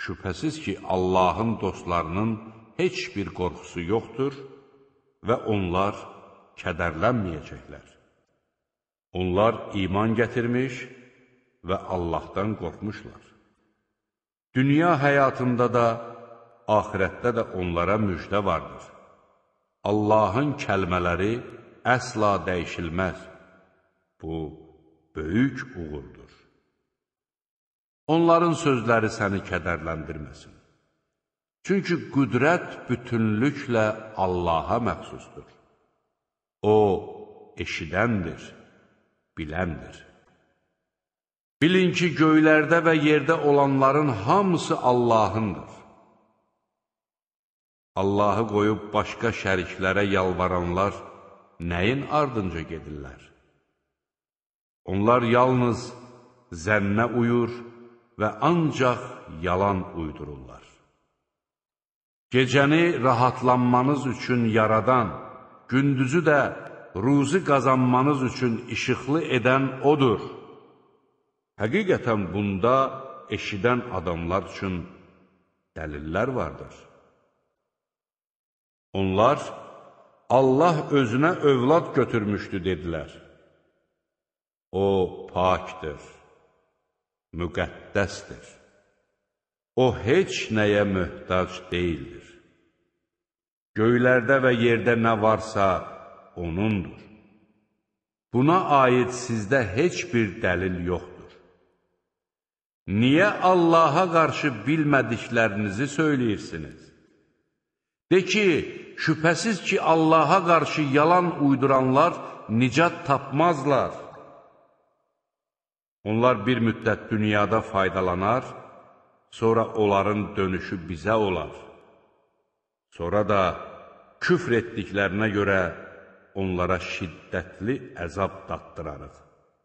Şübhəsiz ki, Allahın dostlarının heç bir qorxusu yoxdur və onlar kədərlənməyəcəklər. Onlar iman gətirmiş və Allahdan qorxmuşlar. Dünya həyatında da, axirətdə də onlara müjdə vardır. Allahın kəlmələri əsla dəyişilməz. Bu, böyük uğurdur. Onların sözləri səni kədərləndirməsin. Çünki qüdrət bütünlüklə Allaha məxsusdur. O, eşidəndir, biləndir. Bilin ki, göylərdə və yerdə olanların hamısı Allahındır. Allahı qoyub başqa şəriklərə yalvaranlar nəyin ardınca gedirlər? Onlar yalnız zənnə uyur və ancaq yalan uydururlar. Gecəni rahatlanmanız üçün yaradan, gündüzü də ruzi qazanmanız üçün işıqlı edən odur. Həqiqətən bunda eşidən adamlar üçün dəlillər vardır. Onlar, Allah özünə övlad götürmüşdü, dedilər. O, pakdır, müqəddəsdir. O, heç nəyə möhtac deyildir. Göylərdə və yerdə nə varsa, O'nundur. Buna aid sizdə heç bir dəlil yoxdur. Niyə Allaha qarşı bilmədiklərinizi söyləyirsiniz? De ki, şübhəsiz ki, Allaha qarşı yalan uyduranlar nicat tapmazlar. Onlar bir müddət dünyada faydalanar, sonra onların dönüşü bizə olar. Sonra da küfr etdiklərinə görə onlara şiddətli əzab daddırarıq.